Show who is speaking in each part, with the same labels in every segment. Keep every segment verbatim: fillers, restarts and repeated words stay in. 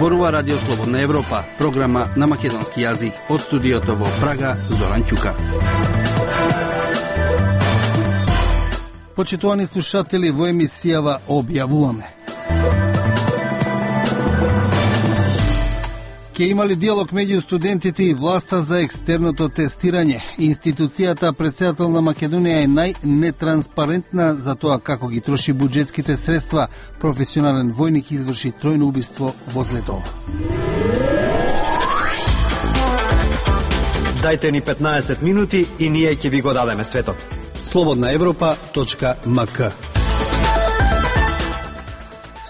Speaker 1: Зборува Радио Слободна Европа, програма на македонски јазик од студиото во Прага, Зоран Ќука. Почитувани слушатели, во емисијава објавуваме: Ке имали диалог меѓу студентите и власта за екстерното тестирање. Институцијата Претседател на Македонија е најнетранспарентна за тоа како ги троши буџетските средства. Професионален војник изврши тројно убиство во Злетово.
Speaker 2: Дајте ни петнаесет минути и ние ќе ви го дадеме светот.
Speaker 1: слободна европа точка ем ка.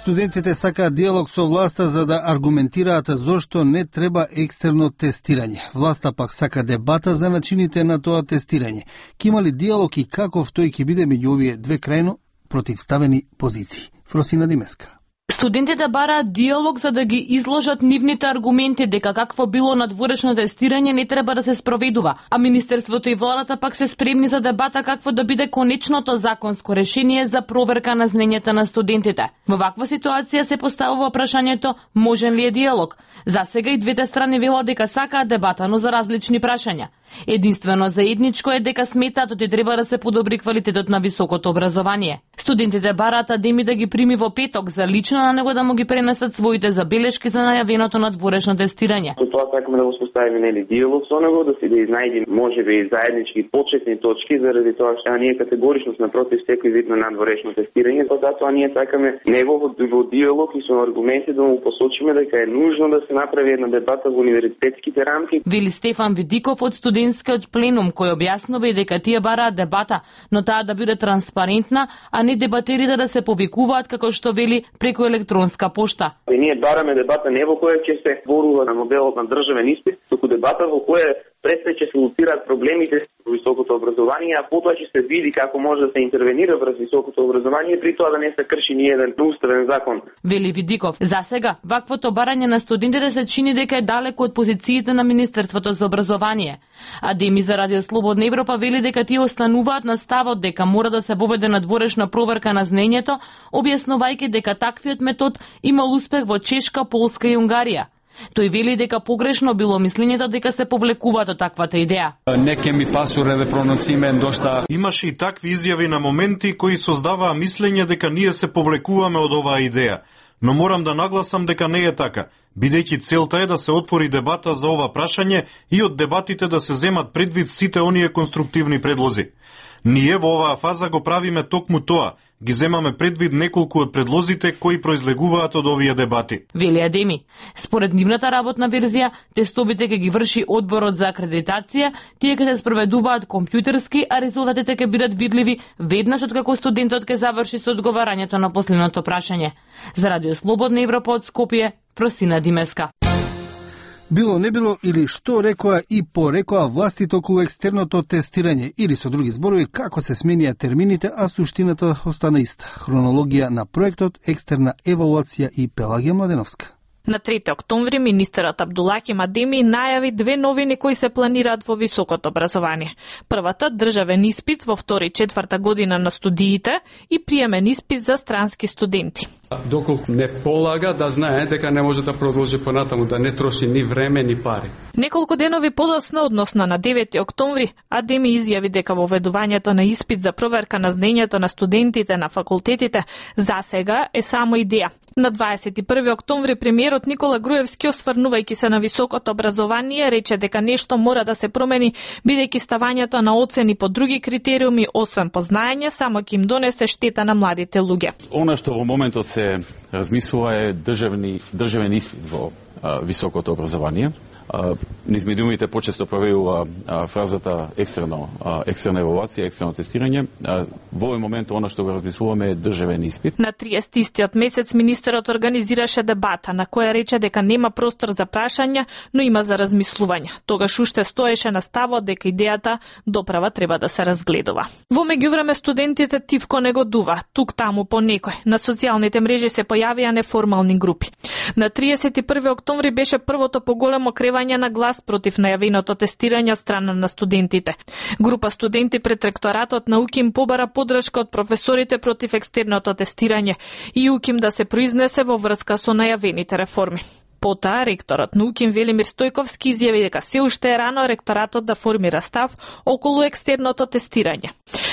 Speaker 1: Студентите сакаат диалог со власта за да аргументираат зошто не треба екстерно тестирање. Власта пак сака дебата за начините на тоа тестирање. Ке има ли диалог и каков тој ќе биде меѓу овие две крајно противставени позиции? Фросина Димеска.
Speaker 3: Студентите бараат диалог за да ги изложат нивните аргументи дека какво било надворешно тестирање не треба да се спроведува, а Министерството и владата пак се спремни за дебата какво да биде конечното законско решение за проверка на знаењата на студентите. Во ваква ситуација се поставува прашањето можен ли е диалог? За сега и двете страни велат дека сакаат дебата, но за различни прашања. Единствено заедничко е дека сметаат дека треба да се подобри квалитетот на високото образование. Студентите бараат Адеми да ги прими во петок за лично на него да му ги пренесат своите забелешки за најавеното надворешно тестирање.
Speaker 4: Со тоа сакаме да го поставиме нели диалог со него, да си да изнајдеме можеби и заеднички почетни точки, заради тоа што ние категорично сме против секој вид на надворешно тестирање, па затоа ние сакаме него во, во диалог и со аргументи да му посочиме дека е нужно да се направи една дебата во универзитетските рамки.
Speaker 3: Вели Стефан Видиков од студентскиот пленум, кој објаснува и дека тие бараат дебата, но таа да биде транспарентна, а не дебатерите да се повикуваат како што вели преку електронска пошта.
Speaker 4: И ние бараме дебата не во која ќе се зборува на моделот на државен испит, туку дебата во која пред ќе се луцираат проблемите во високото образование, а потоа ќе се види како може да се интервенира врз високото образование, при тоа да не се крши ни еден уставен закон.
Speaker 3: Вели Видиков, за сега ваквото барање на студентите се чини дека е далеко од позициите на Министерството за образование. Адеми за Радио Слободна Европа вели дека тие остануваат на ставот дека мора да се воведе надворешна проверка на знаењето, објаснувајќи дека таквиот метод имал успех во Чешка, Полска и Унгарија. Тој вели дека погрешно било мислењето дека се повлекуваат од таквата идеја.
Speaker 5: Неке ми пасуре да проноциме дошта.
Speaker 6: Имаше и такви изјави на моменти кои создаваа мислење дека ние се повлекуваме од оваа идеја. Но морам да нагласам дека не е така, бидејќи целта е да се отвори дебата за ова прашање и од дебатите да се земат предвид сите оние конструктивни предлози. Ние во оваа фаза го правиме токму тоа, ги земаме предвид неколку од предлозите кои произлегуваат од овие дебати.
Speaker 3: Вели Адеми, според нивната работна верзија, тестовите ќе ги врши одборот за акредитација, тие ќе се спроведуваат компјутерски, а резултатите ќе бидат видливи веднаш откако студентот ќе заврши со одговарањето на последното прашање. За Радио Слободна Европа од Скопје, Просина Димеска.
Speaker 1: Било не било или што рекоа и порекоа властите околу екстерното тестирање, или со други зборови како се сменија термините, а суштината остана иста. Хронологија на проектот, екстерна евалуација и Пелагија Младеновска.
Speaker 7: На трети октомври министерот Абдулахим Адеми најави две новини кои се планираат во високото образование. Првата државен испит во втора и четврта година на студиите и приемен испит за странски студенти.
Speaker 5: Доколку не полага да знае дека не може да продолжи понатаму, да не троши ни време ни пари.
Speaker 7: Неколку денови подоцна, односно на девети октомври, Адеми изјави дека воведувањето на испит за проверка на знаењето на студентите на факултетите за сега е само идеја. На дваесет и први октомври премиерот Никола Груевски, осврнувајќи се на високото образование, рече дека нешто мора да се промени, бидејќи ставањето на оцени по други критериуми, освен по знаење, само ќе им донесе штета на младите луѓе.
Speaker 8: Она што во моментот се размислува е државни, државен испит во а, високото образование. Низ медиумите почесто појавува фразата екстерно, екстерна евалуација, екстерно тестирање. Во овој момент она што го размислуваме е државен испит.
Speaker 7: На триесеттистиот месец министерот организираше дебата на која рече дека нема простор за прашања, но има за размислување. Тогаш уште стоеше на ставот дека идејата доправа треба да се разгледува. Во меѓувреме студентите тивко негодува, тук таму по некој. На социјалните мрежи се појавија неформални групи. На триесет и први октомври беше првото поголемо кревање на глас против најавеното тестирање од страна на студентите. Група студенти пред ректоратот на УКИМ побара подршка од професорите против екстерното тестирање и УКИМ да се произнесе во врска со најавените реформи. Потоа, ректорот на УКИМ Велимир Стојковски изјави дека се уште е рано ректоратот да формира став околу екстерното тестирање.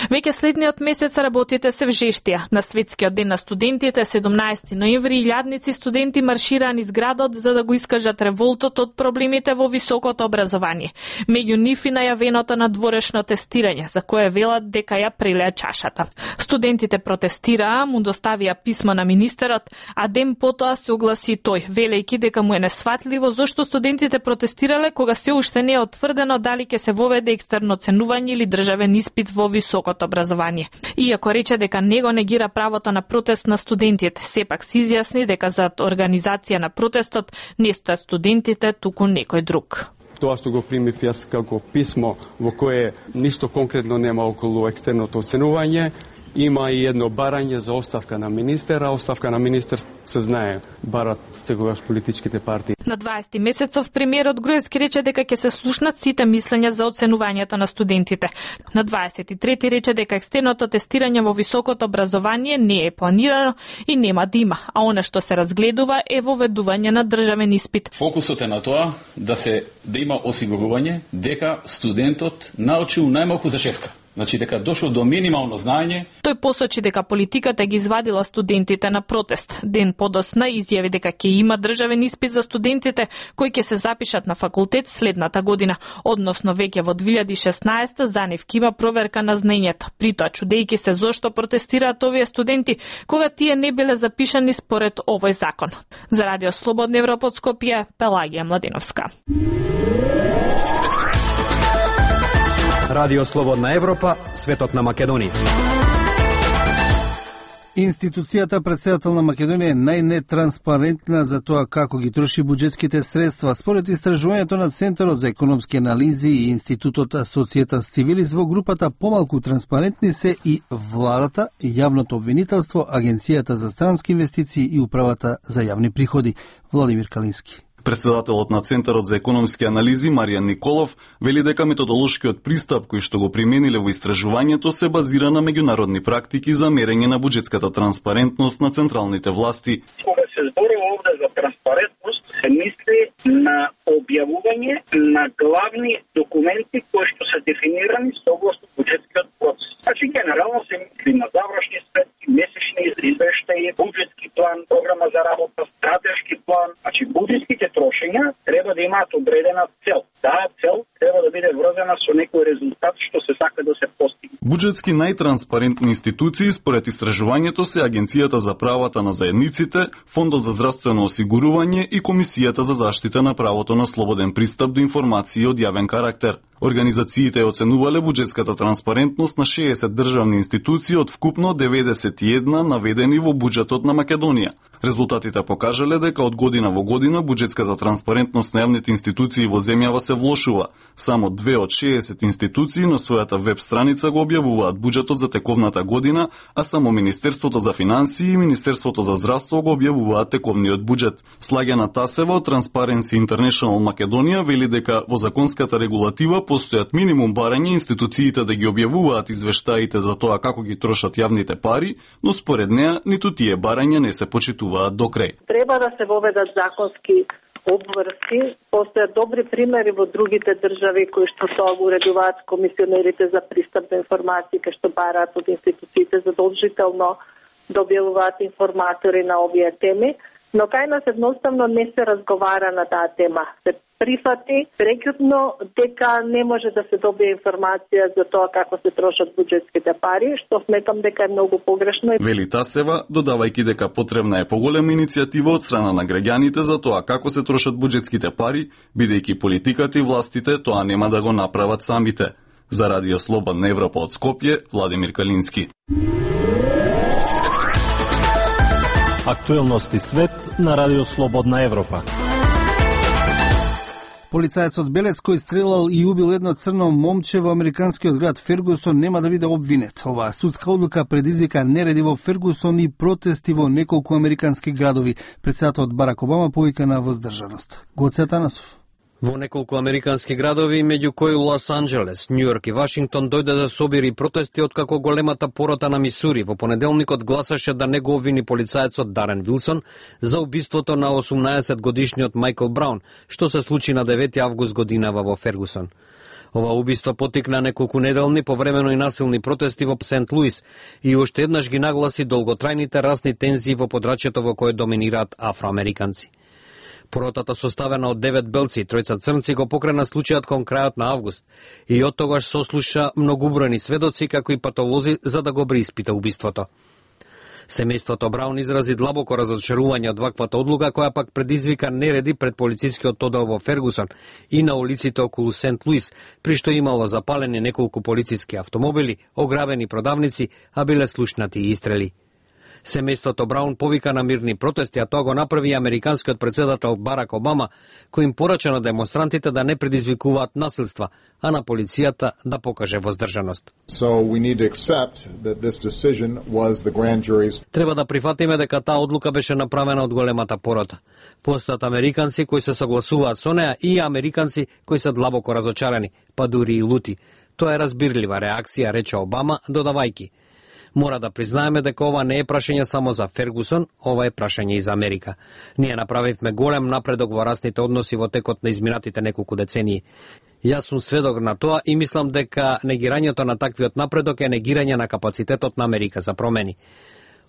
Speaker 7: Веќе следниот месец работите се вжештија. На Светскиот ден на студентите, седумнаесети ноември, илјадници студенти маршираа низ градот за да го искажат револтот од проблемите во високото образование. Меѓу нив и најавеното надворешно тестирање, за кое велат дека ја прелеа чашата. Студентите протестираа, му доставија писмо на министерот, а ден потоа се огласи тој, велејќи дека му е несватливо зошто студентите протестирале кога се уште не е отврдено дали ќе се воведе екстерно оценување или државен испит во високото образование. Иако рече дека не го негира правото на протест на студентите, сепак се изјасни дека за организација на протестот не стојат студентите, туку некој друг.
Speaker 5: Тоа што го примив јас како писмо во кое ништо конкретно нема околу екстерното оценување, има и едно барање за оставка на министера. Оставка на министер се знае, барат сегогаш политичките партии.
Speaker 7: На дваесети месецов премиерот Груевски рече дека ќе се слушнат сите мислења за оценувањето на студентите. На дваесет и трети рече дека екстерното тестирање во високото образование не е планирано и нема да има, а она што се разгледува е воведување на државен испит.
Speaker 8: Фокусот е на тоа да се да има осигурување дека студентот научил најмалку за шеска. Значи дека дошол до минимално знаење.
Speaker 7: Тој посочи дека политиката ги извадила студентите на протест. Ден подосна изјави дека ќе има државен испит за студентите кои ќе се запишат на факултет следната година, односно веќе во две илјади и шеснаесета за нив ќе има проверка на знаењето. Притоа чудејќи се зошто протестираат овие студенти кога тие не биле запишани според овој закон. За Радио Слободна Европа од Скопје, Пелагија Младиновска.
Speaker 2: Радио Слободна Европа, светот на Македонија.
Speaker 1: Институцијата председател на Македонија е најнетранспарентна за тоа како ги троши буџетските средства. Според истражувањето на Центарот за економски анализи и Институтот Societas Civilis, во групата помалку транспарентни се и владата, јавното обвинителство, Агенцијата за странски инвестиции и Управата за јавни приходи. Владимир Калински.
Speaker 9: Председателот на Центарот за економски анализи Маријан Николов вели дека методолошкиот пристап кој што го примениле во истражувањето се базира на меѓународни практики за мерење на буџетската транспарентност на централните власти.
Speaker 10: Кога се зборува овде за транспарентност, се мисли на објавување на главни документи кои што се дефинирани согласно буџетскиот процес. Значи генерално се мисли на завршни сметки, месечни извештаи, буџетски план, програма за работа, стратешки план. Значи буџетските трошења треба да имаат одредена цел. Таа цел треба да биде врзана со некој резултат што се сака да се постигне.
Speaker 9: Буџетски најтранспарентни институции според истражувањето се Агенцијата за правата на заедниците, Фондот за здравствено осигурување и Комисијата за заштита на правото на слободен пристап до информации од јавен карактер. Организациите оценувале буџетската транспарентност на шеесет државни институции од вкупно деветдесет и една наведени во буџетот на Македонија. Резултатите покажале дека од година во година буџетската транспарентност на јавните институции во земјава се влошува. Само две од шеесет институции на својата веб страница го објавуваат буџетот за тековната година, а само Министерството за финансии и Министерството за здравство го објавуваат тековниот буџет. Слагена Тасева од Transparency International Македонија вели дека во законската регулатива постојат минимум барање институциите да ги објавуваат извештаите за тоа како ги трошат јавните пари, но според неа ниту тие барања не се почитуваат до крај.
Speaker 11: Треба да се воведат законски обврски. Постојат добри примери во другите држави кои што тоа го уредуваат комисионерите за пристап до информации, кои што бараат од институциите задолжително да објавуваат информатори на овие теми, но кај нас едноставно не се разговара на таа тема. Се прифати прекјутно дека не може да се добие информација за тоа како се трошат буџетските пари, што сметам дека е многу погрешно.
Speaker 9: Вели Тасева, додавајќи дека потребна е поголема иницијатива од страна на граѓаните за тоа како се трошат буџетските пари, бидејќи политиката и властите тоа нема да го направат самите. За Радио Слободна Европа од Скопје, Владимир Калински.
Speaker 12: Актуелности свет на Радио Слободна Европа.
Speaker 1: Полицајецот Белец кој стрелал и убил едно црно момче во американскиот град Фергусон нема да биде обвинет. Оваа судска одлука предизвика нереди во Фергусон и протести во неколку американски градови. Председателот Барак Обама повика на воздржаност. Гоце Атанасов.
Speaker 13: Во неколку американски градови, меѓу кои Лос Анџелес, Њујорк и Вашингтон, дојде да собири протести откако големата порота на Мисури во понеделникот гласаше да не го обвини полицаецот Дарен Вилсон за убиството на осумнаесет годишниот Майкл Браун, што се случи на девети август годинава во Фергусон. Ова убиство потикна неколку неделни повремено и насилни протести во Сент Луис и уште еднаш ги нагласи долготрајните расни тензии во подрачјето во кое доминираат афроамериканци. Поротата составена од девет белци и тројца црнци го покрена случајот кон крајот на август и од тогаш сослуша многубројни сведоци како и патолози за да го преиспита убиството. Семејството Браун изрази длабоко разочарување од ваквата одлука која пак предизвика нереди пред полицискиот оддел во Фергусон и на улиците околу Сент Луис, при што имало запалени неколку полициски автомобили, ограбени продавници, а биле слушнати и истрели. Семејството Браун повика на мирни протести, а тоа го направи американскиот председател Барак Обама, кој им порача на демонстрантите да не предизвикуваат насилства, а на полицијата да покаже воздржаност.
Speaker 14: So we need to accept that this decision was the grand jury's.
Speaker 13: Треба да прифатиме дека таа одлука беше направена од големата порота. Постојат американци кои се согласуваат со неа и американци кои се длабоко разочарани, па дури и лути. Тоа е разбирлива реакција, рече Обама, додавајки: мора да признаеме дека ова не е прашање само за Фергусон, ова е прашање и за Америка. Ние направивме голем напредок во расните односи во текот на изминатите неколку децении. Јас сум сведок на тоа и мислам дека негирањето на таквиот напредок е негирање на капацитетот на Америка за промени.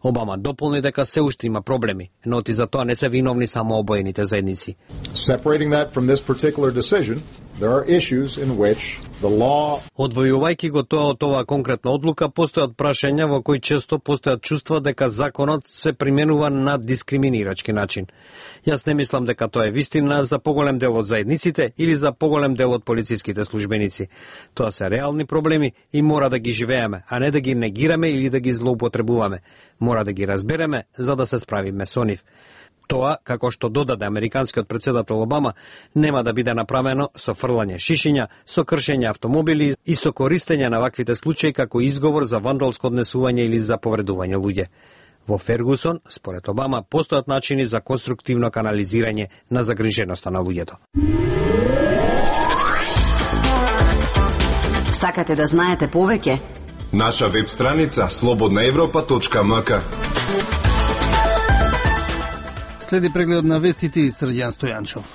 Speaker 13: Обама дополни дека се уште има проблеми, но и за тоа не се виновни само обоените заедници.
Speaker 14: Separating that from this particular decision, there are issues in which the law.
Speaker 13: Одвојувајќи го тоа од оваа конкретна одлука, постојат прашања во кои често постојат чувства дека законот се применува на дискриминирачки начин. Јас не мислам дека тоа е вистина за поголем дел од заедниците или за поголем дел од полициските службеници. Тоа се реални проблеми и мора да ги живееме, а не да ги негираме или да ги злоупотребуваме. Мора да ги разбереме за да се справиме со нив. Тоа, како што додаде американскиот председател Обама, нема да биде направено со фрлање шишиња, со кршење автомобили и со користење на ваквите случаи како изговор за вандалско однесување или за повредување луѓе. Во Фергусон, според Обама, постојат начини за конструктивно канализирање на загриженоста на луѓето.
Speaker 15: Сакате да знаете повеќе?
Speaker 16: Наша веб страница слободна европа точка ем ка.
Speaker 1: Следи преглед на вестите и Срđan Стојанчов.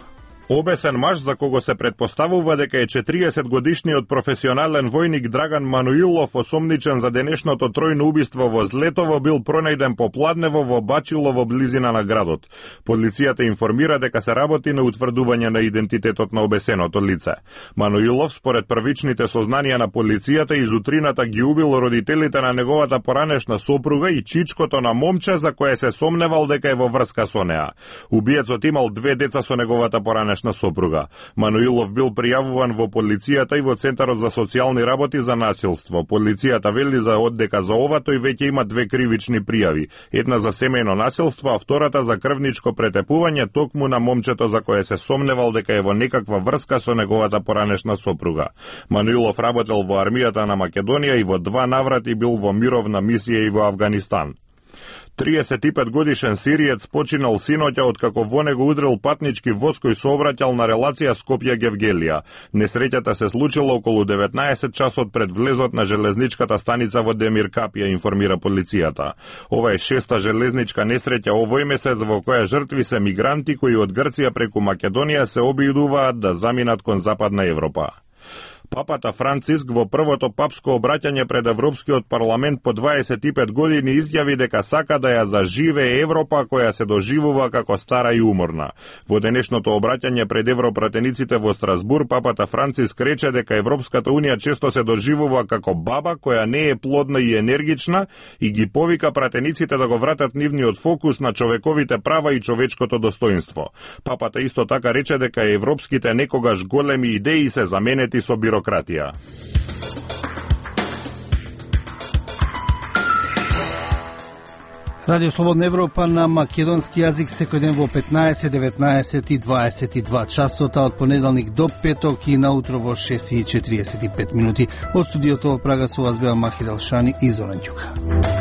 Speaker 17: Обесен маж за кого се предпоставува дека е четириесет годишниот професионален војник Драган Мануилов, осомничен за денешното тројно убиство во Злетово, бил пронајден попладнево во Бачило во близина на градот. Полицијата информира дека се работи на утврдување на идентитетот на обесеното лице. Мануилов, според првичните сознанија на полицијата, изутрината ги убил родителите на неговата поранешна сопруга и чичкото на момче за кое се сомневал дека е во врска со неа. Убиецот имал две деца со неговата поранешна на сопруга. Мануилов бил пријавуван во полицијата и во Центарот за социјални работи за насилство. Полицијата вели за оддека за ова тој веќе има две кривични пријави. Една за семејно насилство, а втората за крвничко претепување токму на момчето за кое се сомневал дека е во некаква врска со неговата поранешна сопруга. Мануилов работел во армијата на Македонија и во два наврати бил во мировна мисија и во Авганистан. триесет и пет годишен сириец починал синоќа откако во него удрил патнички воз кој сообраќал на релација Скопје-Гевгелија. Несреќата се случила околу деветнаесет часот пред влезот на железничката станица во Демиркапија, информира полицијата. Ова е шеста железничка несреќа овој месец во која жртви се мигранти кои од Грција преку Македонија се обидуваат да заминат кон Западна Европа. Папата Франциск во првото папско обраќање пред Европскиот парламент по дваесет и пет години изјави дека сака да ја заживее Европа која се доживува како стара и уморна. Во денешното обраќање пред европратениците во Страсбур, папата Франциск рече дека Европската унија често се доживува како баба која не е плодна и енергична и ги повика пратениците да го вратат нивниот фокус на човековите права и човечкото достоинство. Папата исто така рече дека европските некогаш големи идеи се заменети со бирократија.
Speaker 1: Радио Слободна Европа на македонски јазик секој ден во петнаесет, деветнаесет и дваесет и два часот, од понеделник до петок и наутро во шест и четириесет и пет минути. Од студиото во Прага со вас беа Махир Алшани и Зоран Ѓука.